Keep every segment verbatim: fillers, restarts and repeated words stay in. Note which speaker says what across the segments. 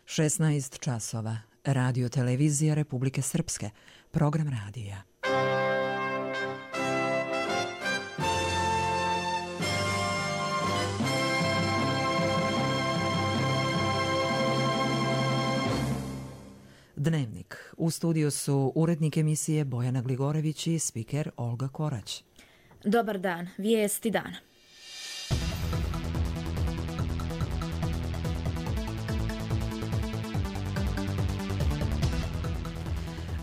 Speaker 1: šesnaest časova. Radio televizija Republike Srpske. Program radija. Dnevnik. U studiju su urednik emisije Bojana Gligorević i spiker Olga Korać.
Speaker 2: Dobar dan. Vijesti dana.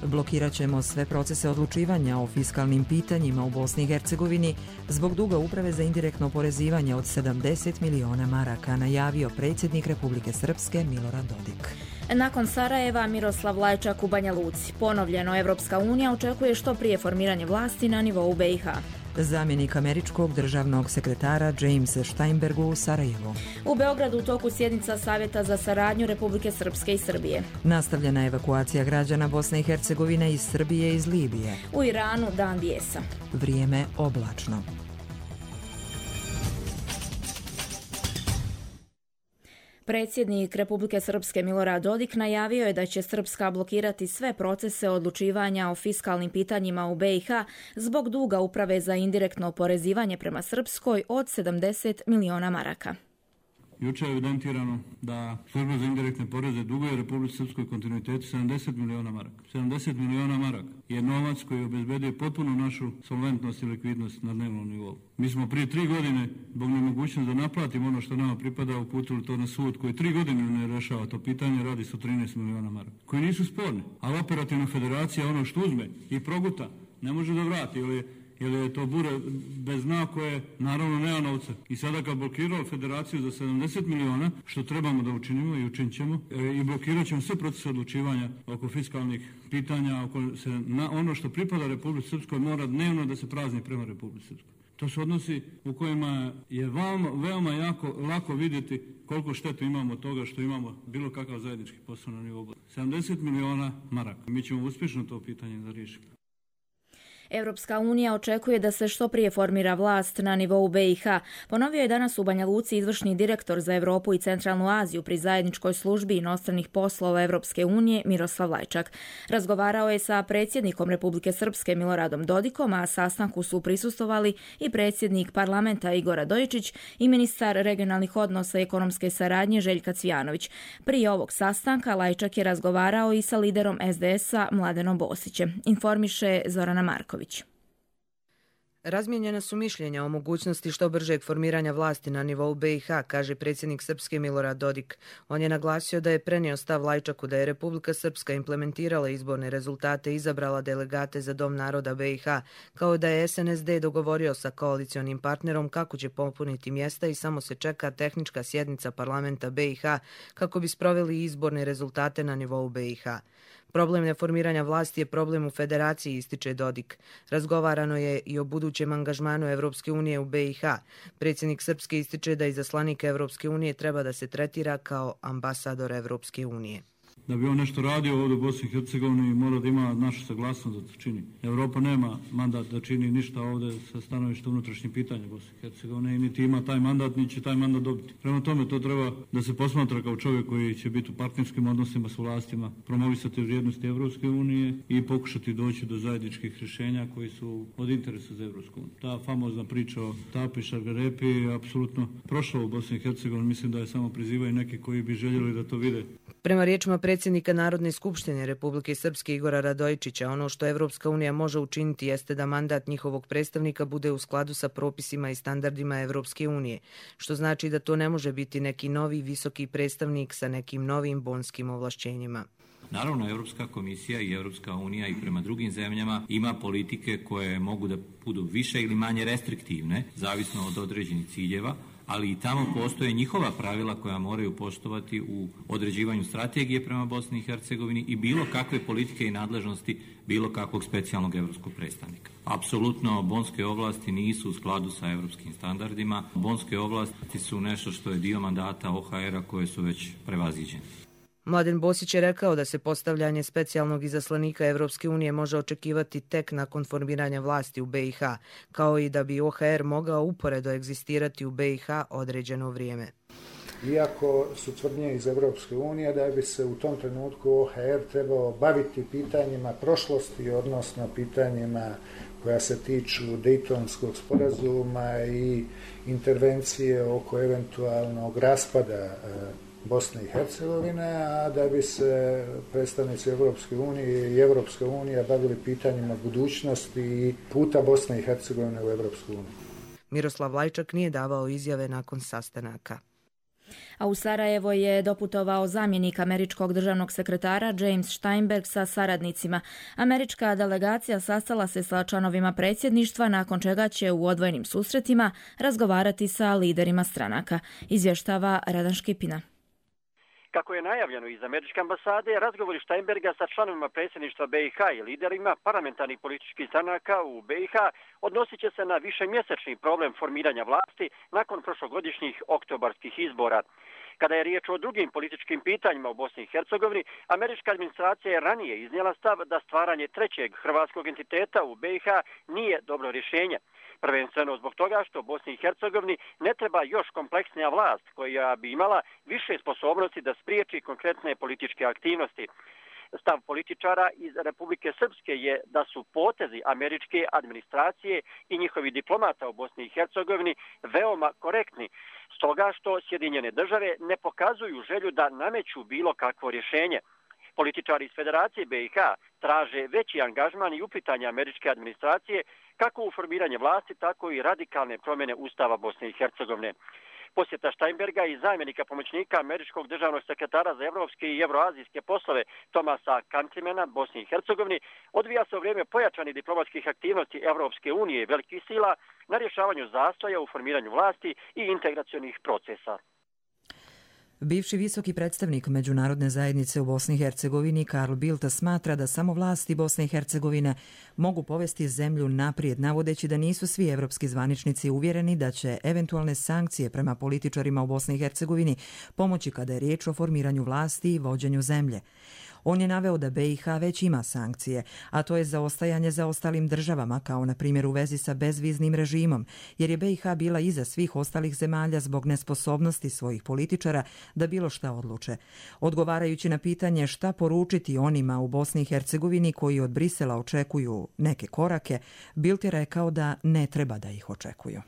Speaker 1: Blokirat ćemo sve procese odlučivanja o fiskalnim pitanjima u Bosni i Hercegovini zbog duga Uprave za indirektno oporezivanje od sedamdeset miliona maraka, najavio predsjednik Republike Srpske Milorad Dodik.
Speaker 2: Nakon Sarajeva, Miroslav Lajčak u Banja Luci. Ponovljeno, Evropska unija očekuje što prije formiranje vlasti na nivou B i H.
Speaker 1: Zamjenik američkog državnog sekretara James Steinbergu u Sarajevu.
Speaker 2: U Beogradu u toku sjednica Savjeta za saradnju Republike Srpske i Srbije.
Speaker 1: Nastavljena evakuacija građana Bosne i Hercegovine iz Srbije i iz Libije.
Speaker 2: U Iranu dan bijesa.
Speaker 1: Vrijeme oblačno.
Speaker 2: Predsjednik Republike Srpske Milorad Dodik najavio je da će Srpska blokirati sve procese odlučivanja o fiskalnim pitanjima u B i H zbog duga Uprave za indirektno oporezivanje prema Srpskoj od sedamdeset miliona maraka.
Speaker 3: Jučer je evidentirano da služba za indirektne poreze duguje Republici Srpskoj kontinuitetu sedamdeset miliona maraka. sedamdeset miliona maraka je novac koji obezbedio potpuno našu solventnost i likvidnost na dnevnom nivou. Mi smo prije tri godine, zbog nemogućnosti da naplatimo ono što nama pripada, uputili to na sud koji tri godine ne rešava to pitanje, radi se o trinaest miliona maraka. Koji nisu sporni, ali operativna federacija ono što uzme i proguta ne može da vrati, ili jer je to bure bez dna koje naravno nema novca. I sada kad blokirao federaciju za sedamdeset miliona, što trebamo da učinimo i učinit ćemo, e, i blokirat ćemo sve procese odlučivanja oko fiskalnih pitanja, oko se, na ono što pripada Republici Srpskoj mora dnevno da se prazni prema Republici Srpskoj. To su odnosi u kojima je veoma, veoma jako lako vidjeti koliko štetu imamo od toga što imamo bilo kakav zajednički posao na nivou. sedamdeset miliona maraka. Mi ćemo uspješno to pitanje da riješimo.
Speaker 2: Evropska unija očekuje da se što prije formira vlast na nivou B i H. Ponovio je danas u Banja Luci izvršni direktor za Europu i Centralnu Aziju pri zajedničkoj službi inostranih poslova Evropske unije Miroslav Lajčak. Razgovarao je sa predsjednikom Republike Srpske Miloradom Dodikom, a sastanku su prisustvovali i predsjednik parlamenta Igor Radojičić i ministar regionalnih odnosa i ekonomske saradnje Željka Cvijanović. Prije ovog sastanka Lajčak je razgovarao i sa liderom S D S-a Mladenom Bosićem. Informiše Zorana Marković.
Speaker 4: Razmijenjena su mišljenja o mogućnosti što bržeg formiranja vlasti na nivou B i H, kaže predsjednik Srpske Milorad Dodik. On je naglasio da je prenio stav Lajčaku da je Republika Srpska implementirala izborne rezultate i izabrala delegate za Dom naroda B i H, kao da je S N S D dogovorio sa koalicionim partnerom kako će popuniti mjesta i samo se čeka tehnička sjednica parlamenta B i H kako bi sproveli izborne rezultate na nivou B i H. Problem neformiranja vlasti je problem u federaciji, ističe Dodik. Razgovarano je i o budućem angažmanu Evropske unije u B i H. Predsjednik Srpske ističe da izaslanik Evropske unije treba da se tretira kao ambasador Evropske unije.
Speaker 3: Da bi on nešto radio ovdje u Bosni i Hercegovini mora da ima našu saglasnost da to čini. Europa nema mandat da čini ništa ovdje sa stanovišta unutrašnjih pitanja Bosne i Hercegovine i niti ima taj mandat, niti će taj mandat dobiti. Prema tome to treba da se posmatra kao čovjek koji će biti u partnerskim odnosima s vlastima, promovisati vrijednosti Evropske unije i pokušati doći do zajedničkih rješenja koji su od interesa za Evropsku uniju. Ta famozna priča o Tapi, Šargarepi je apsolutno prošla u Bosni i Hercegovini. Mislim da je samo prizivaju neki koji bi željeli da to vide.
Speaker 4: Prema riječima predsjednika Narodne skupštine Republike Srpske Igora Radojičića, ono što Evropska unija može učiniti jeste da mandat njihovog predstavnika bude u skladu sa propisima i standardima Evropske unije, što znači da to ne može biti neki novi visoki predstavnik sa nekim novim bonskim ovlašćenjima.
Speaker 5: Naravno, Europska komisija i Europska unija i prema drugim zemljama ima politike koje mogu da budu više ili manje restriktivne, zavisno od određenih ciljeva, ali i tamo postoje njihova pravila koja moraju poštovati u određivanju strategije prema Bosni i Hercegovini i bilo kakve politike i nadležnosti bilo kakvog specijalnog evropskog predstavnika. Apsolutno, bonske ovlasti nisu u skladu sa evropskim standardima. Bonske ovlasti su nešto što je dio mandata O H R-a koje su već prevaziđene.
Speaker 4: Mladen Bosić je rekao da se postavljanje specijalnog izaslanika Evropske unije može očekivati tek nakon formiranja vlasti u B i H, kao i da bi O H R mogao uporedo egzistirati u B i H određeno vrijeme.
Speaker 6: iako su tvrdnje iz Europske unije da bi se u tom trenutku O H R trebao baviti pitanjima prošlosti, odnosno pitanjima koja se tiču Dejtonskog sporazuma i intervencije oko eventualnog raspada Bosne i Hercegovine, a da bi se predstavnici Europske unije i Europska unija bavili pitanjima budućnosti i puta Bosne i Hercegovine u Europsku uniju.
Speaker 4: Miroslav Lajčak nije davao izjave nakon sastanaka.
Speaker 2: A u Sarajevo je doputovao zamjenik američkog državnog sekretara James Steinberg sa saradnicima. Američka delegacija sastala se sa članovima predsjedništva, nakon čega će u odvojenim susretima razgovarati sa liderima stranaka, izvještava Radan Škipina.
Speaker 7: Kako je najavljeno iz američke ambasade, razgovori Steinberga sa članovima predsjedništva B i H i liderima parlamentarnih političkih stranaka u B i H odnosit će se na višemjesečni problem formiranja vlasti nakon prošlogodišnjih oktobarskih izbora. Kada je riječ o drugim političkim pitanjima u Bosni i Hercegovini, američka administracija je ranije iznijela stav da stvaranje trećeg hrvatskog entiteta u B i H nije dobro rješenje. Prvenstveno zbog toga što Bosni i Hercegovini ne treba još kompleksnija vlast koja bi imala više sposobnosti da spriječi konkretne političke aktivnosti. Stav političara iz Republike Srpske je da su potezi američke administracije i njihovi diplomata u Bosni i Hercegovini veoma korektni, stoga što Sjedinjene države ne pokazuju želju da nameću bilo kakvo rješenje. Političari iz Federacije B i H traže veći angažman i uplitanje američke administracije kako u formiranje vlasti, tako i radikalne promjene Ustava Bosne i Hercegovine. Posjeta Steinberga i zamjenika pomoćnika američkog državnog sekretara za evropske i evroazijske poslove Tomasa Countrimana Bosni i Hercegovini odvija se u vrijeme pojačanih diplomatskih aktivnosti Evropske unije i velikih sila na rješavanju zastoja u formiranju vlasti i integracionih procesa.
Speaker 1: Bivši visoki predstavnik međunarodne zajednice u Bosni i Hercegovini Karl Bildt smatra da samo vlasti Bosne i Hercegovine mogu povesti zemlju naprijed, navodeći da nisu svi evropski zvaničnici uvjereni da će eventualne sankcije prema političarima u Bosni i Hercegovini pomoći kada je riječ o formiranju vlasti i vođenju zemlje. On je naveo da B i H već ima sankcije, a to je zaostajanje za ostalim državama, kao na primjer u vezi sa bezviznim režimom, jer je B i H bila iza svih ostalih zemalja zbog nesposobnosti svojih političara da bilo šta odluče. Odgovarajući na pitanje šta poručiti onima u Bosni i Hercegovini koji od Brisela očekuju neke korake, Bildt je rekao da ne treba da ih očekuju.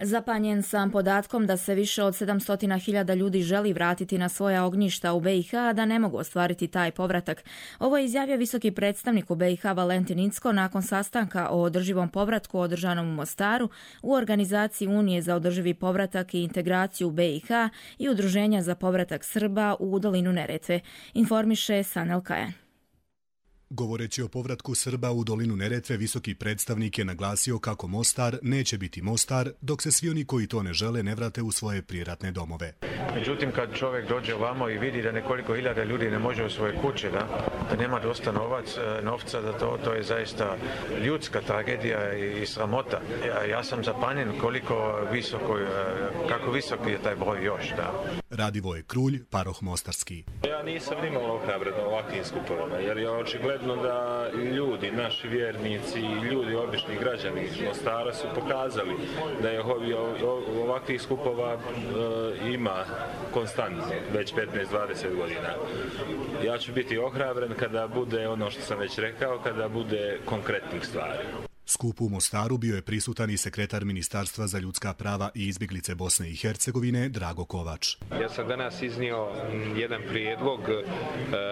Speaker 2: Zapanjen sam podatkom da se više od sedamsto hiljada ljudi želi vratiti na svoja ognjišta u B i H, a da ne mogu ostvariti taj povratak. Ovo je izjavio visoki predstavnik u B i H Valentin Incko nakon sastanka o održivom povratku održanom u Mostaru u organizaciji Unije za održivi povratak i integraciju u B i H i Udruženja za povratak Srba u dolinu Neretve, informiše Sanel Kajan.
Speaker 8: Govoreći o povratku Srba u dolinu Neretve, visoki predstavnik je naglasio kako Mostar neće biti Mostar dok se svi oni koji to ne žele ne vrate u svoje prijeratne domove.
Speaker 9: Međutim, kad čovjek dođe ovamo i vidi da nekoliko hiljada ljudi ne može u svoje kuće, da, da nema dosta novac, novca, da to, to je zaista ljudska tragedija i, i sramota. Ja, ja sam zapanjen koliko visoko, kako visok je taj broj još. Da.
Speaker 8: Radivoje Krulj, paroh Mostarski.
Speaker 10: Ja nisam nimalo ohrabren na ovakvim skupovima, jer je očigledno da ljudi, naši vjernici i ljudi, obični građani iz Mostara su pokazali da je ovakvih skupova e, ima konstantno, već petnaest dvadeset godina. Ja ću biti ohrabren kada bude ono što sam već rekao, kada bude konkretnih stvari.
Speaker 8: Skupu u Mostaru bio je prisutan i sekretar Ministarstva za ljudska prava i izbjeglice Bosne i Hercegovine Drago Kovač.
Speaker 11: Ja sam danas iznio jedan prijedlog,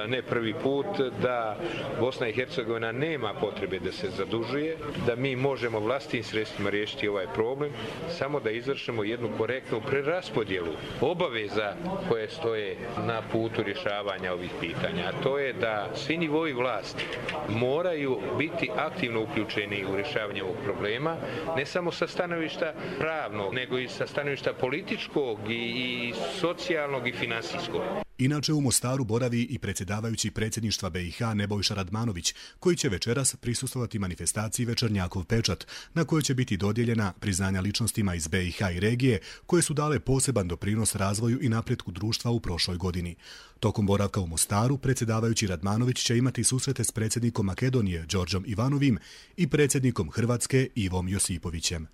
Speaker 11: ne prvi put, da Bosna i Hercegovina nema potrebe da se zadužuje, da mi možemo vlastitim sredstvima riješiti ovaj problem, samo da izvršimo jednu korektnu preraspodjelu obaveza koje stoje na putu rješavanja ovih pitanja. A to je da svi nivoji vlasti moraju biti aktivno uključeni u rješavanje ovog problema, ne samo sa stanovišta pravnog, nego i sa stanovišta političkog i, i socijalnog i finansijskog.
Speaker 8: Inače u Mostaru boravi i predsjedavajući predsjedništva B i H Nebojša Radmanović, koji će večeras prisustvovati manifestaciji Večernjakov pečat, na kojoj će biti dodijeljena priznanja ličnostima iz B i H i regije, koje su dale poseban doprinos razvoju i napretku društva u prošloj godini. Tokom boravka u Mostaru, predsjedavajući Radmanović će imati susrete s predsjednikom Makedonije Đorđom Ivanovim i predsjednikom Hrvatske Ivom Josipovićem.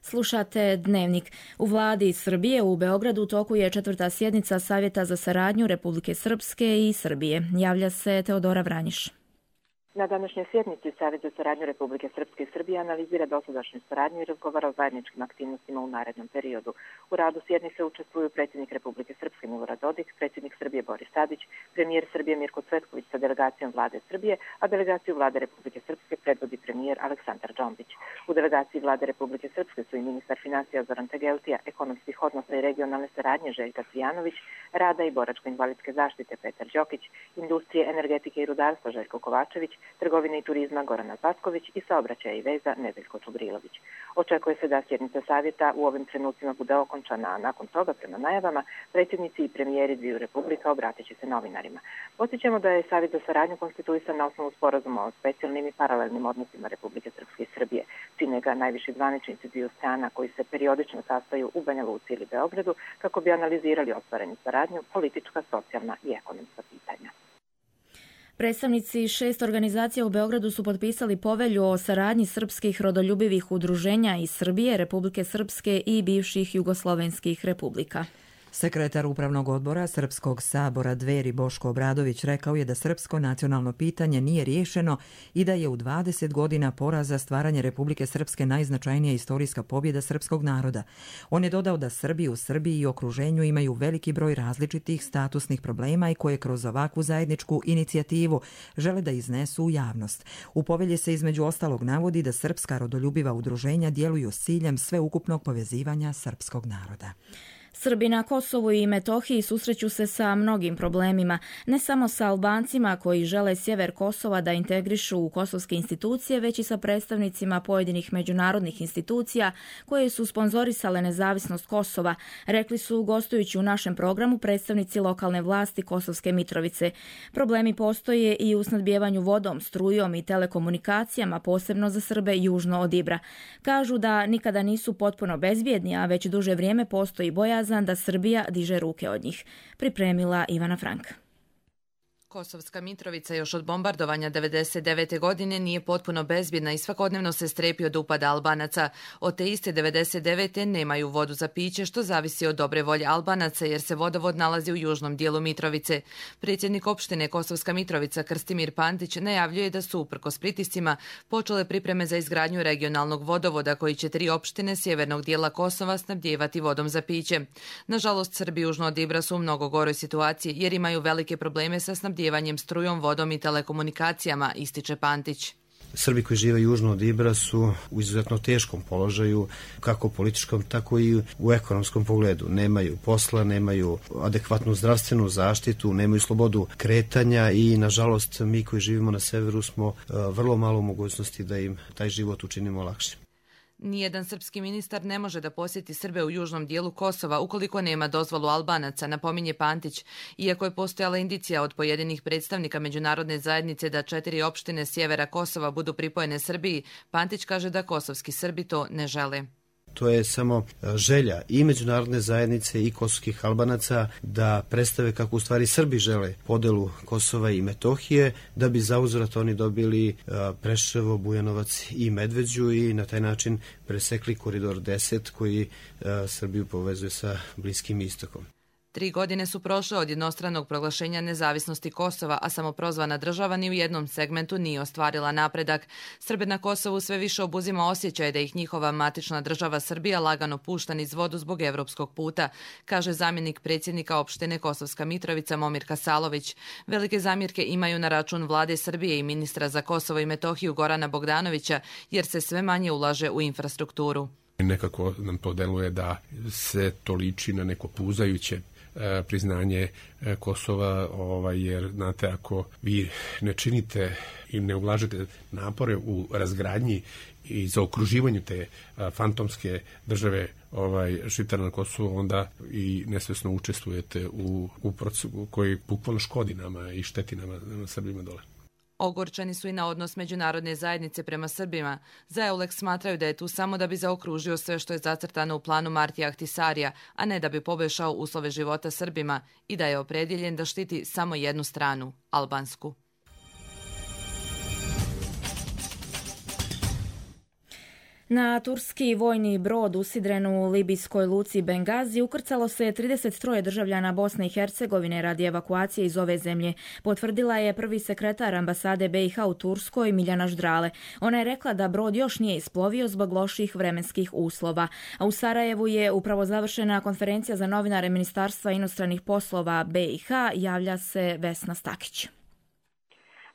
Speaker 2: Slušate Dnevnik. U vladi Srbije u Beogradu u toku je četvrta sjednica Savjeta za saradnju Republike Srpske i Srbije. Javlja se Teodora Vranjiš.
Speaker 12: Na današnjoj sjednici Savjet za saradnju Republike Srpske i Srbije analizira dosadašnju saradnju i razgovara o zajedničkim aktivnostima u narednom periodu. U radu sjednice učestvuju predsjednik Republike Srpske Milorad Dodik, predsjednik Srbije Boris Tadić, premijer Srbije Mirko Cvetković sa delegacijom vlade Srbije, a delegaciju vlade Republike Srpske predvodi premijer Aleksandar Džombić. U delegaciji vlade Republike Srpske su i ministar financija Zoran Tegeltija, ekonomskih odnosa i regionalne saradnje Željka Cvijanović, rada i boračko-invalidske zaštite Petar Đokić, industrije, energetike i rudarstva Željko Kovačević, trgovine i turizma Gorana Zvatković i saobraćaja i veza Nedeljko Čubrilović. Očekuje se da sjednica savjeta u ovim trenucima bude okončana, a nakon toga, prema najavama, predsjednici i premijeri dviju republika obratit će se novinarima. Podsjećamo da je Savjet za saradnju konstituisan na osnovu sporazuma o specijalnim i paralelnim odnosima Republike Srpske i Srbije. Čine ga najviši zvaničnici dviju strana koji se periodično sastaju u Banja Luci ili Beogradu kako bi analizirali ostvarenu saradnju, politička, socijalna i ekonomska pitanja.
Speaker 2: Predstavnici šest organizacija u Beogradu su potpisali povelju o saradnji srpskih rodoljubivih udruženja iz Srbije, Republike Srpske i bivših jugoslovenskih republika.
Speaker 1: Sekretar Upravnog odbora Srpskog sabora Dveri Boško Obradović rekao je da srpsko nacionalno pitanje nije riješeno i da je u dvadeset godina poraza stvaranje Republike Srpske najznačajnija istorijska pobjeda srpskog naroda. On je dodao da Srbi u Srbiji i okruženju imaju veliki broj različitih statusnih problema i koje kroz ovakvu zajedničku inicijativu žele da iznesu u javnost. U povelji se između ostalog navodi da srpska rodoljubiva udruženja djeluju s ciljem sveukupnog povezivanja srpskog naroda.
Speaker 2: Srbi na Kosovu i Metohiji susreću se sa mnogim problemima, ne samo sa Albancima koji žele sjever Kosova da integrišu u kosovske institucije, već i sa predstavnicima pojedinih međunarodnih institucija koje su sponzorisale nezavisnost Kosova, rekli su gostujući u našem programu predstavnici lokalne vlasti Kosovske Mitrovice. Problemi postoje i u snadbijevanju vodom, strujom i telekomunikacijama, posebno za Srbe južno od Ibra. Kažu da nikada nisu potpuno bezbjedni, a već duže vrijeme postoji bojazan da Srbija diže ruke od njih. Pripremila Ivana Frank.
Speaker 4: Kosovska Mitrovica još od bombardovanja devedeset devete. godine nije potpuno bezbjedna i svakodnevno se strepi od upada Albanaca. Od te iste devedeset devete. nemaju vodu za piće, što zavisi od dobre volje Albanaca jer se vodovod nalazi u južnom dijelu Mitrovice. Predsjednik opštine Kosovska Mitrovica Krstimir Pantić najavljuje da su uprkos pritiscima počele pripreme za izgradnju regionalnog vodovoda koji će tri opštine sjevernog dijela Kosova snabdijevati vodom za piće. Nažalost, Srbi južno od Ibra su u mnogo goroj situaciji jer imaju velike probleme sa snabdijevanjem strujom, vodom i telekomunikacijama, ističe Pantić.
Speaker 13: Srbi koji žive južno od Ibra su u izuzetno teškom položaju, kako u političkom, tako i u ekonomskom pogledu. Nemaju posla, nemaju adekvatnu zdravstvenu zaštitu, nemaju slobodu kretanja i, nažalost, mi koji živimo na severu smo vrlo malo mogućnosti da im taj život učinimo lakšim.
Speaker 4: Nijedan srpski ministar ne može da posjeti Srbe u južnom dijelu Kosova ukoliko nema dozvolu Albanaca, napominje Pantić. Iako je postojala indicija od pojedinih predstavnika međunarodne zajednice da četiri opštine sjevera Kosova budu pripojene Srbiji, Pantić kaže da kosovski Srbi to ne žele.
Speaker 13: To je samo želja i međunarodne zajednice i kosovskih Albanaca da predstave kako u stvari Srbi žele podelu Kosova i Metohije, da bi zauzvrat oni dobili Preševo, Bujanovac i Medveđu i na taj način presekli koridor deset koji Srbiju povezuje sa Bliskim istokom.
Speaker 4: Tri godine su prošle od jednostranog proglašenja nezavisnosti Kosova, a samoprozvana država ni u jednom segmentu nije ostvarila napredak. Srbe na Kosovu sve više obuzima osjećaj da ih njihova matična država Srbija lagano pušta niz vodu zbog evropskog puta, kaže zamjenik predsjednika opštine Kosovska Mitrovica Momir Kasalović. Velike zamjerke imaju na račun vlade Srbije i ministra za Kosovo i Metohiju Gorana Bogdanovića, jer se sve manje ulaže u infrastrukturu.
Speaker 14: Nekako nam to deluje da se to liči na neko puzajuće priznanje Kosova, ovaj, jer znate, ako vi ne činite i ne ulažete napore u razgradnji i zaokruživanju te a, fantomske države ovaj, Šiptara na Kosovu, onda i nesvesno učestvujete u, u procesu koji bukvalno škodi nama i šteti nama, nama Srbima dole.
Speaker 4: Ogorčani su i na odnos međunarodne zajednice prema Srbima. Za EULEX smatraju da je tu samo da bi zaokružio sve što je zacrtano u planu Martija Ahtisarija, a ne da bi poboljšao uslove života Srbima i da je opredjeljen da štiti samo jednu stranu, albansku.
Speaker 2: Na turski vojni brod usidren u libijskoj luci Bengazi ukrcalo se trideset tri državljana Bosne i Hercegovine radi evakuacije iz ove zemlje, potvrdila je prvi sekretar ambasade B i H u Turskoj Miljana Ždrale. Ona je rekla da brod još nije isplovio zbog loših vremenskih uslova. A u Sarajevu je upravo završena konferencija za novinare Ministarstva inostranih poslova B i H, javlja se Vesna Stakić.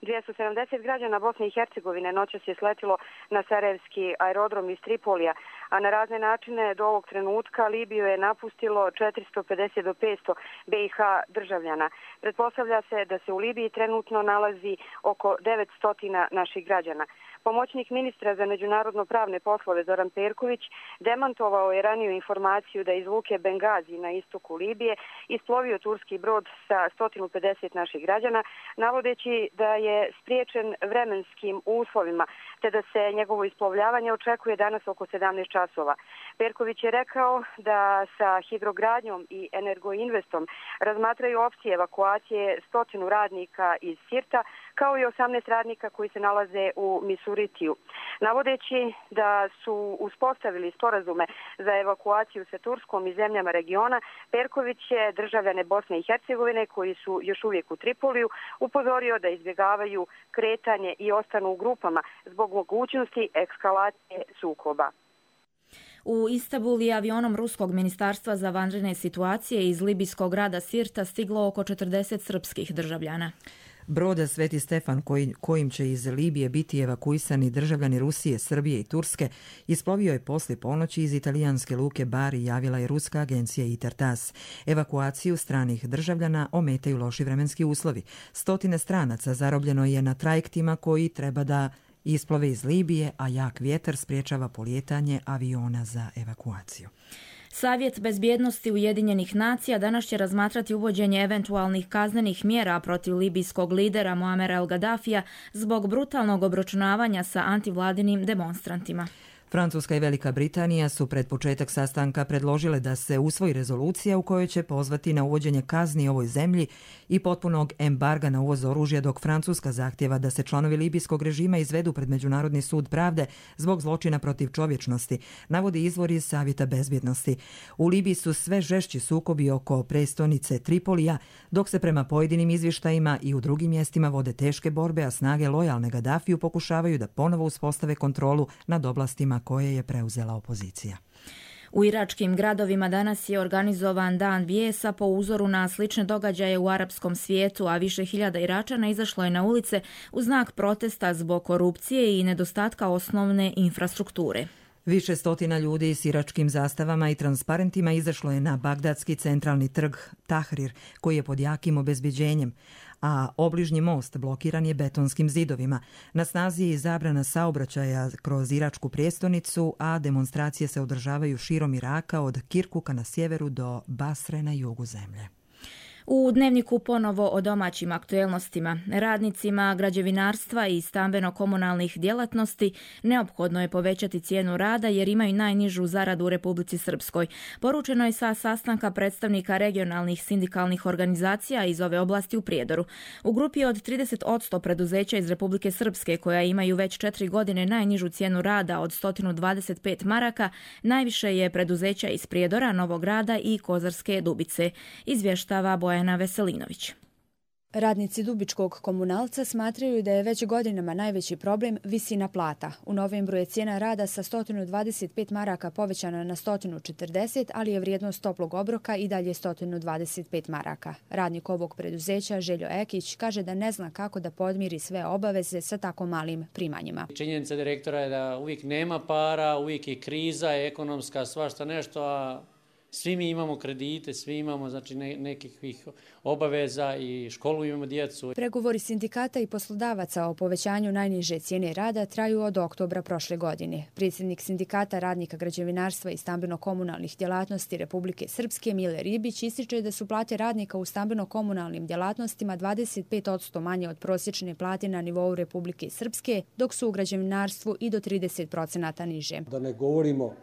Speaker 15: dvjesto sedamdeset građana Bosne i Hercegovine noćas je sletilo na sarajevski aerodrom iz Tripolija, a na razne načine do ovog trenutka Libiju je napustilo četiristo pedeset do petsto B i H državljana. Pretpostavlja se da se u Libiji trenutno nalazi oko devetsto naših građana. Pomoćnik ministra za međunarodno pravne poslove Zoran Perković demantovao je raniju informaciju da iz luke Bengazi na istoku Libije isplovio turski brod sa sto pedeset naših građana, navodeći da je spriječen vremenskim uslovima, te da se njegovo isplovljavanje očekuje danas oko sedamnaest časova. Perković je rekao da sa Hidrogradnjom i Energoinvestom razmatraju opcije evakuacije stotinu radnika iz Sirta, kao i osamnaest radnika koji se nalaze u Misuritiju. Navodeći da su uspostavili sporazume za evakuaciju sa Turskom i zemljama regiona, Perković je državljane Bosne i Hercegovine koji su još uvijek u Tripoliju upozorio da izbjegavaju kretanje i ostanu u grupama zbog mogućnosti ekskalacije sukoba.
Speaker 2: U Istanbul je avionom Ruskog ministarstva za vanredne situacije iz libijskog grada Sirta stiglo oko četrdeset srpskih državljana.
Speaker 1: Broda Sveti Stefan, koji, kojim će iz Libije biti evakuisani državljani Rusije, Srbije i Turske, isplovio je poslije ponoći iz italijanske luke Bari, javila je ruska agencija Intertas. Evakuaciju stranih državljana ometaju loši vremenski uslovi. Stotine stranaca zarobljeno je na trajektima koji treba da isplove iz Libije, a jak vjetar spriječava polijetanje aviona za evakuaciju.
Speaker 2: Savjet bezbjednosti Ujedinjenih nacija danas će razmatrati uvođenje eventualnih kaznenih mjera protiv libijskog lidera Muamera el Gaddafija zbog brutalnog obračunavanja sa antivladinim demonstrantima.
Speaker 1: Francuska i Velika Britanija su pred početak sastanka predložile da se usvoji rezolucija u kojoj će pozvati na uvođenje kazni ovoj zemlji i potpunog embarga na uvoz oružja, dok Francuska zahtjeva da se članovi libijskog režima izvedu pred Međunarodni sud pravde zbog zločina protiv čovječnosti, navodi izvor iz Savjeta bezbjednosti. U Libiji su sve žešći sukobi oko prestonice Tripolija, dok se prema pojedinim izvještajima i u drugim mjestima vode teške borbe, a snage lojalne Gaddafiju pokušavaju da ponovo uspostave kontrolu nad oblastima koje je preuzela opozicija.
Speaker 2: U iračkim gradovima danas je organizovan dan bijesa po uzoru na slične događaje u arapskom svijetu, a više hiljada Iračana izašlo je na ulice u znak protesta zbog korupcije i nedostatka osnovne infrastrukture.
Speaker 1: Više stotina ljudi s iračkim zastavama i transparentima izašlo je na bagdadski centralni trg Tahrir, koji je pod jakim obezbeđenjem, a obližnji most blokiran je betonskim zidovima. Na snazi je i zabrana saobraćaja kroz iračku prijestolnicu, a demonstracije se održavaju širom Iraka od Kirkuka na sjeveru do Basre na jugu zemlje.
Speaker 2: U Dnevniku ponovo o domaćim aktuelnostima. Radnicima građevinarstva i stambeno-komunalnih djelatnosti neophodno je povećati cijenu rada jer imaju najnižu zaradu u Republici Srpskoj. Poručeno je sa sastanka predstavnika regionalnih sindikalnih organizacija iz ove oblasti u Prijedoru. U grupi od trideset posto preduzeća iz Republike Srpske koja imaju već četiri godine najnižu cijenu rada od sto dvadeset pet maraka, najviše je preduzeća iz Prijedora, Novog Grada i Kozarske Dubice, izvještava Bojana Veselinović.
Speaker 16: Radnici Dubičkog komunalca smatraju da je već godinama najveći problem visina plata. U novembru je cijena rada sa sto dvadeset pet maraka povećana na sto četrdeset, ali je vrijednost toplog obroka i dalje sto dvadeset pet maraka. Radnik ovog preduzeća, Željo Ekić, kaže da ne zna kako da podmiri sve obaveze sa tako malim primanjima.
Speaker 17: Činjenica direktora je da uvijek nema para, uvijek je kriza, ekonomska, svašta nešto, a svi mi imamo kredite, svi imamo znači ne, nekih obaveza i školu imamo djecu.
Speaker 16: Pregovori sindikata i poslodavaca o povećanju najniže cijene rada traju od oktobra prošle godine. Predsjednik sindikata radnika građevinarstva i stambeno-komunalnih djelatnosti Republike Srpske Mile Ribić ističe da su plate radnika u stambeno-komunalnim djelatnostima dvadeset pet posto manje od prosječne plate na nivou Republike Srpske, dok su u građevinarstvu i do trideset posto niže.
Speaker 18: Da ne govorimo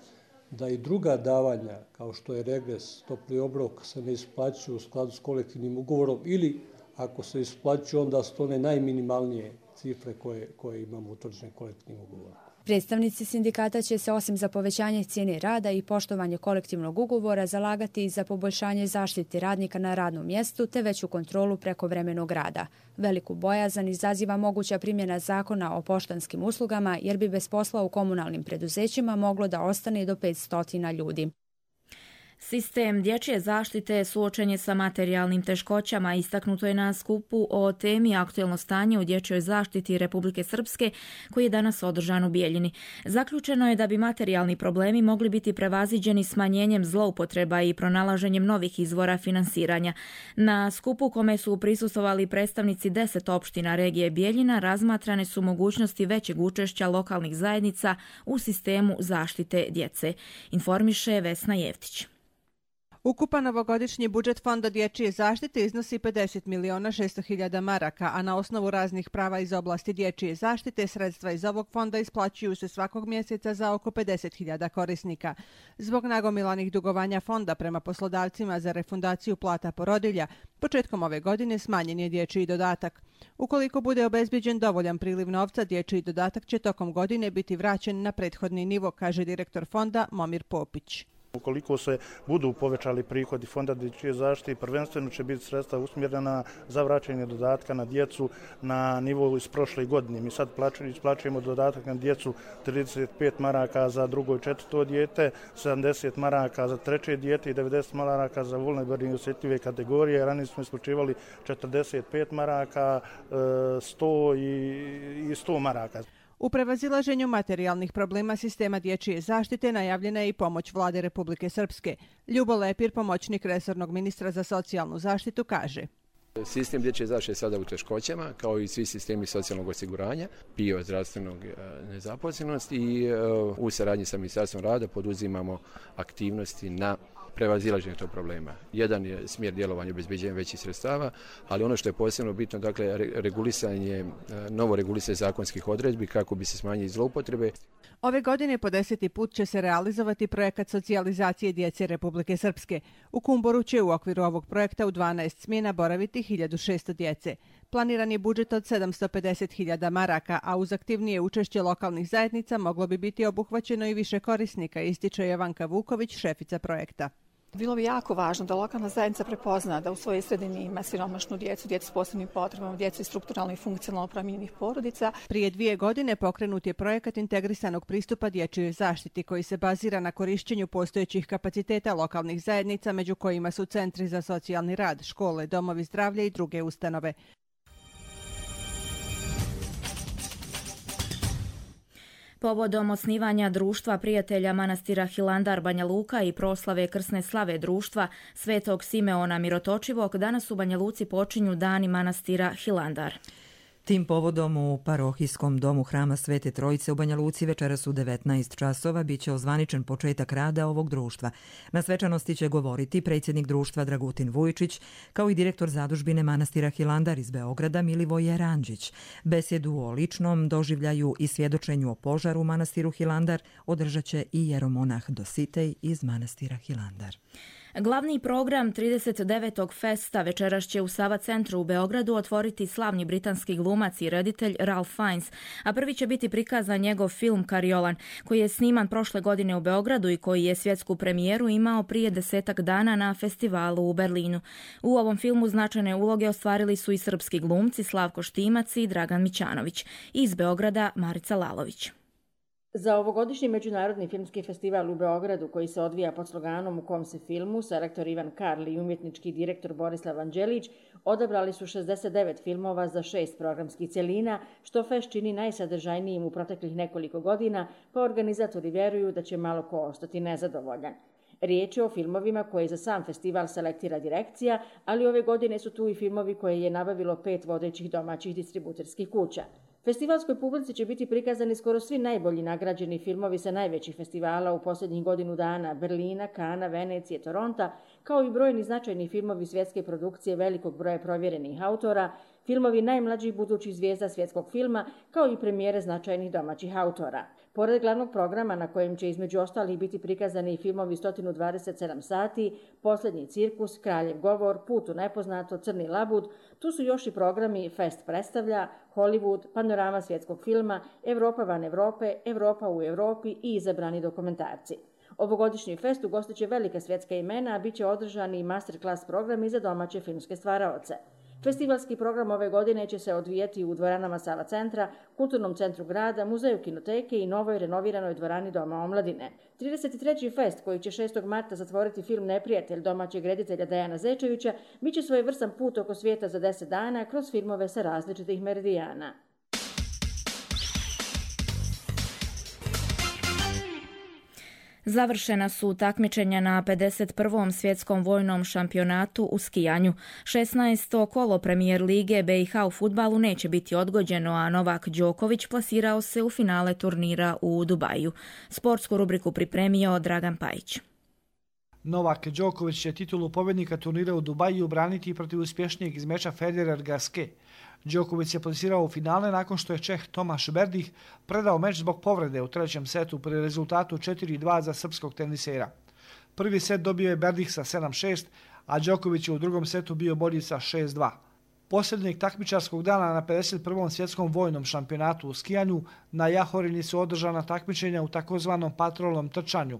Speaker 18: da i druga davanja, kao što je regres, topli obrok, se ne isplaćuju u skladu s kolektivnim ugovorom ili ako se isplaćuju, onda su to one najminimalnije cifre koje, koje imamo utvrđene kolektivnim ugovorom.
Speaker 16: Predstavnici sindikata će se osim za povećanje cijene rada i poštovanje kolektivnog ugovora zalagati i za poboljšanje zaštite radnika na radnom mjestu te veću kontrolu prekovremenog rada. Veliku bojazan izaziva moguća primjena zakona o poštanskim uslugama jer bi bez posla u komunalnim preduzećima moglo da ostane do petsto ljudi.
Speaker 2: Sistem dječje zaštite suočen je sa materijalnim teškoćama, istaknuto je na skupu o temi aktuelno stanje u dječjoj zaštiti Republike Srpske koji je danas održan u Bijeljini. Zaključeno je da bi materijalni problemi mogli biti prevaziđeni smanjenjem zloupotreba i pronalaženjem novih izvora finansiranja. Na skupu kome su prisustvovali predstavnici deset opština regije Bijeljina razmatrane su mogućnosti većeg učešća lokalnih zajednica u sistemu zaštite djece, informiše Vesna Jevtić.
Speaker 19: Ukupan ovogodišnji budžet Fonda dječje zaštite iznosi pedeset miliona šesto hiljada maraka, a na osnovu raznih prava iz oblasti dječje zaštite sredstva iz ovog fonda isplaćuju se svakog mjeseca za oko pedeset hiljada korisnika. Zbog nagomilanih dugovanja fonda prema poslodavcima za refundaciju plata porodilja, početkom ove godine smanjen je dječji dodatak. Ukoliko bude obezbijeđen dovoljan priliv novca, dječji dodatak će tokom godine biti vraćen na prethodni nivo, kaže direktor fonda Momir Popić.
Speaker 20: Ukoliko se budu povećali prihodi Fonda dječje zaštite, prvenstveno će biti sredstva usmjerena za vraćanje dodatka na djecu na nivou iz prošle godine. Mi sad isplaćujemo dodatak na djecu trideset pet maraka za drugo i četvrto dijete, sedamdeset maraka za treće dijete i devedeset maraka za vulnerabilne i osjetljive kategorije. Ranije smo isplaćivali četrdeset pet maraka, sto i sto maraka.
Speaker 19: U prevazilaženju materijalnih problema sistema dječje zaštite najavljena je i pomoć Vlade Republike Srpske. Ljubo Lepir, pomoćnik resornog ministra za socijalnu zaštitu, kaže:
Speaker 21: Sistem dječje zaštite je sada u teškoćama, kao i svi sistemi socijalnog osiguranja, P I O, zdravstvenog nezaposlenosti i u saradnji sa Ministarstvom rada poduzimamo aktivnosti na prevazilaženje tog problema. Jedan je smjer djelovanja obezbeđenja većih sredstava, ali ono što je posebno bitno, dakle, regulisanje, novo regulisanje zakonskih odredbi kako bi se smanjili zloupotrebe.
Speaker 19: Ove godine po deseti put će se realizovati projekat socijalizacije djece Republike Srpske. U Kumboru će u okviru ovog projekta u dvanaest smjena boraviti hiljadu šesto djece. Planiran je budžet od sedamsto pedeset hiljada maraka, a uz aktivnije učešće lokalnih zajednica moglo bi biti obuhvaćeno i više korisnika, ističe Jovanka Vuković, šefica projekta.
Speaker 22: Bilo bi jako važno da lokalna zajednica prepozna da u svojoj sredini ima siromašnu djecu, djecu s posebnim potrebama, djecu iz strukturalno i funkcionalno promijenjenih porodica.
Speaker 19: Prije dvije godine pokrenut je projekat integrisanog pristupa dječjoj zaštiti koji se bazira na korišćenju postojećih kapaciteta lokalnih zajednica, među kojima su centri za socijalni rad, škole, domovi zdravlja i druge ustanove.
Speaker 2: Povodom osnivanja društva prijatelja manastira Hilandar Banja Luka i proslave krsne slave društva Svetog Simeona Mirotočivog, danas u Banja Luci počinju dani manastira Hilandar.
Speaker 1: Tim povodom u parohijskom domu Hrama Svete Trojice u Banja Luci večeras u devetnaest časova biće ozvaničen početak rada ovog društva. Na svečanosti će govoriti predsjednik društva Dragutin Vujičić, kao i direktor zadužbine manastira Hilandar iz Beograda Milivoje Ranđić. Besedu o ličnom doživljaju i svjedočenju o požaru u manastiru Hilandar održat će i jeromonah Dositej iz manastira Hilandar.
Speaker 2: Glavni program trideset devetog festa večeras će u Sava centru u Beogradu otvoriti slavni britanski glumac i reditelj Ralph Fiennes, a prvi će biti prikazan njegov film Kariolan, koji je sniman prošle godine u Beogradu i koji je svjetsku premijeru imao prije desetak dana na festivalu u Berlinu. U ovom filmu značajne uloge ostvarili su i srpski glumci Slavko Štimac i Dragan Mićanović. Iz Beograda Marica Lalović.
Speaker 23: Za ovogodišnji Međunarodni filmski festival u Beogradu, koji se odvija pod sloganom U kom se filmu, selektor Ivan Karli i umjetnički direktor Borislav Anđelić odabrali su šezdeset devet filmova za šest programskih cjelina, što fest čini najsadržajnijim u proteklih nekoliko godina, pa organizatori vjeruju da će malo ko ostati nezadovoljan. Riječ je o filmovima koje za sam festival selektira direkcija, ali ove godine su tu i filmovi koje je nabavilo pet vodećih domaćih distributerskih kuća. Festivalskoj publici će biti prikazani skoro svi najbolji nagrađeni filmovi sa najvećih festivala u posljednjih godinu dana, Berlina, Kana, Venecije, Toronta, kao i brojni značajni filmovi svjetske produkcije velikog broja provjerenih autora, filmovi najmlađih budućih zvijezda svjetskog filma, kao i premijere značajnih domaćih autora. Pored glavnog programa na kojem će između ostalih biti prikazani i filmovi sto dvadeset sedam sati, Posljednji cirkus, Kraljev govor, Put u nepoznato, Crni labud, tu su još i programi Fest predstavlja, Hollywood, Panorama svjetskog filma, Evropa van Evrope, Evropa u Europi i izabrani dokumentarci. Ovogodišnji fest ugostit će velika svjetska imena, a bit će održani i masterclass programi za domaće filmske stvaraoce. Festivalski program ove godine će se odvijati u dvoranama Sava centra, Kulturnom centru grada, Muzeju kinoteke i novoj renoviranoj dvorani Doma omladine. trideset treći fest, koji će šestog marta zatvoriti film Neprijatelj domaćeg reditelja Dejana Zečevića, bit će svojevrstan put oko svijeta za deset dana kroz filmove sa različitih meridijana.
Speaker 2: Završena su takmičenja na pedeset prvom svjetskom vojnom šampionatu u skijanju. šesnaesto kolo premijer lige B i H u fudbalu neće biti odgođeno, a Novak Đoković plasirao se u finale turnira u Dubaju. Sportsku rubriku pripremio Dragan Pajić.
Speaker 3: Novak Đoković će titulu pobjednika turnira u Dubaju braniti protiv uspješnijeg iz meča Federer-Gasquet. Đoković se plasirao u finale nakon što je Čeh Tomaš Berdih predao meč zbog povrede u trećem setu pri rezultatu četiri dva za srpskog tenisera. Prvi set dobio je Berdih sa sedam šest, a Đoković je u drugom setu bio bolji sa šest dva. Posljednjeg takmičarskog dana na pedeset prvom svjetskom vojnom šampionatu u skijanju na Jahorini su održana takmičenja u takozvanom patrolnom trčanju.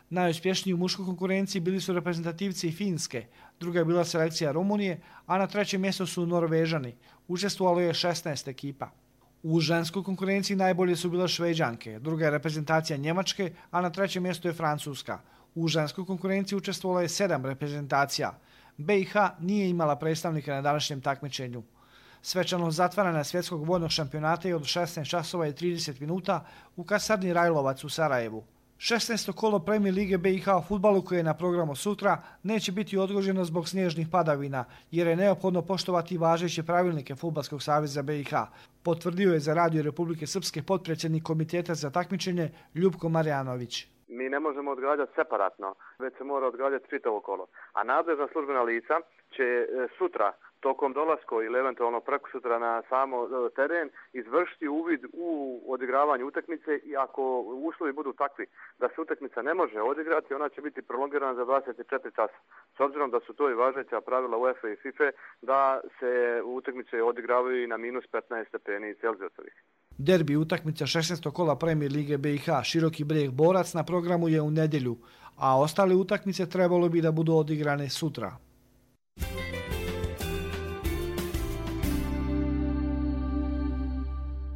Speaker 3: Najuspješniji u muškoj konkurenciji bili su reprezentativci Finske, druga je bila selekcija Rumunije, a na trećem mjestu su Norvežani. Učestvovalo je šesnaest ekipa. U ženskoj konkurenciji najbolje su bile Šveđanke, druga je reprezentacija Njemačke, a na trećem mjestu je Francuska. U ženskoj konkurenciji učestvovalo je sedam reprezentacija. B i H nije imala predstavnika na današnjem takmičenju. Svečano zatvaranje svjetskog vojnog šampionata je od šesnaest časova i trideset minuta u kasarni Rajlovac u Sarajevu. šesnaesto kolo Premier lige B i H u fudbalu koje je na programu sutra neće biti odgođeno zbog snježnih padavina, jer je neophodno poštovati važeće pravilnike Fudbalskog saveza B i H, potvrdio je za Radio Republike Srpske potpredsjednik komiteta za takmičenje Ljubko Marjanović.
Speaker 5: Mi ne možemo odgađati separatno, već se mora odgađati čitavo kolo. A nadležna službena lica će sutra tokom dolaska ili eventualno preko sutra na samo teren izvršiti uvid u odigravanje utakmice i ako uslovi budu takvi da se utakmica ne može odigrati, ona će biti prolongirana za dvadeset četiri časa. S obzirom da su to i važeća pravila UEFA i FIFA da se utakmice odigravaju i na minus petnaest stepeni Celzijusovih.
Speaker 3: Derbi utakmica šesnaestog kola Premier lige B i H Široki Brijeg Borac na programu je u nedjelju, a ostale utakmice trebalo bi da budu odigrane sutra.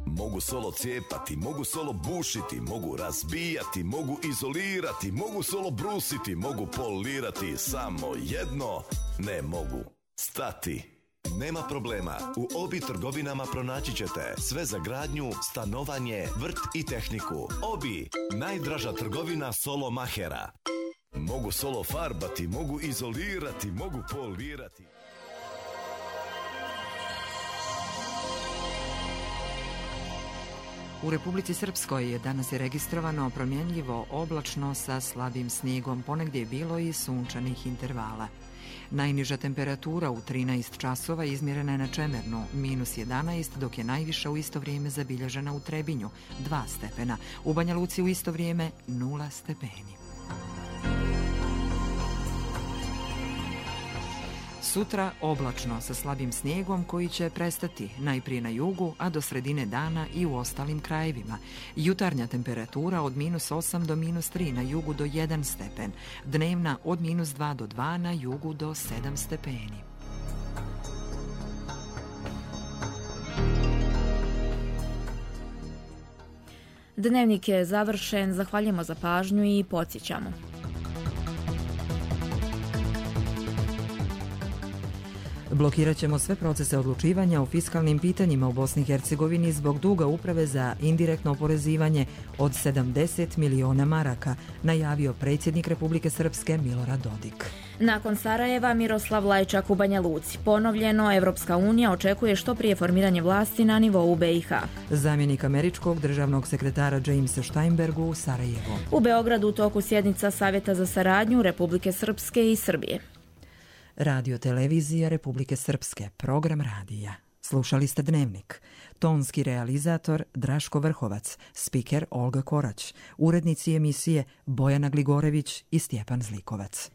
Speaker 6: Mogu solo cijepati, mogu solo bušiti, mogu razbijati, mogu izolirati, mogu solo brusiti, mogu polirati, samo jedno ne mogu stati. Nema problema, u Obi trgovinama pronaći ćete sve za gradnju, stanovanje, vrt i tehniku. Obi, najdraža trgovina solo mahera. Mogu solo farbati, mogu izolirati, mogu polirati.
Speaker 1: U Republici Srpskoj je danas je registrovano promjenljivo oblačno sa slabim snijegom, ponegdje je bilo i sunčanih intervala. Najniža temperatura u trinaest časova izmjerena je na Čemernu, minus jedanaest, dok je najviša u isto vrijeme zabilježena u Trebinju, dva stepena. U Banja Luci u isto vrijeme nula stepeni. Sutra oblačno sa slabim snijegom koji će prestati najprije na jugu, a do sredine dana i u ostalim krajevima. Jutarnja temperatura od minus osam do minus tri, na jugu do jedan stepen. Dnevna od minus dva do dva, na jugu do sedam stepeni.
Speaker 2: Dnevnik je završen, zahvaljujemo za pažnju i podsjećamo.
Speaker 1: Blokirat ćemo sve procese odlučivanja o fiskalnim pitanjima u Bosni i Hercegovini zbog duga uprave za indirektno oporezivanje od sedamdeset miliona maraka, najavio predsjednik Republike Srpske Milorad Dodik.
Speaker 2: Nakon Sarajeva, Miroslav Lajčak u Banja Luci. Ponovljeno, Evropska unija očekuje što prije formiranje vlasti na nivou B i H.
Speaker 1: Zamjenik američkog državnog sekretara Jamesa Steinbergu u Sarajevu.
Speaker 2: U Beogradu u toku sjednica Savjeta za saradnju Republike Srpske i Srbije.
Speaker 1: Radio televizija Republike Srpske, program radija. Slušali ste Dnevnik. Tonski realizator Draško Vrhovac, spiker Olga Korać, urednici emisije Bojana Gligorević i Stjepan Zlikovac.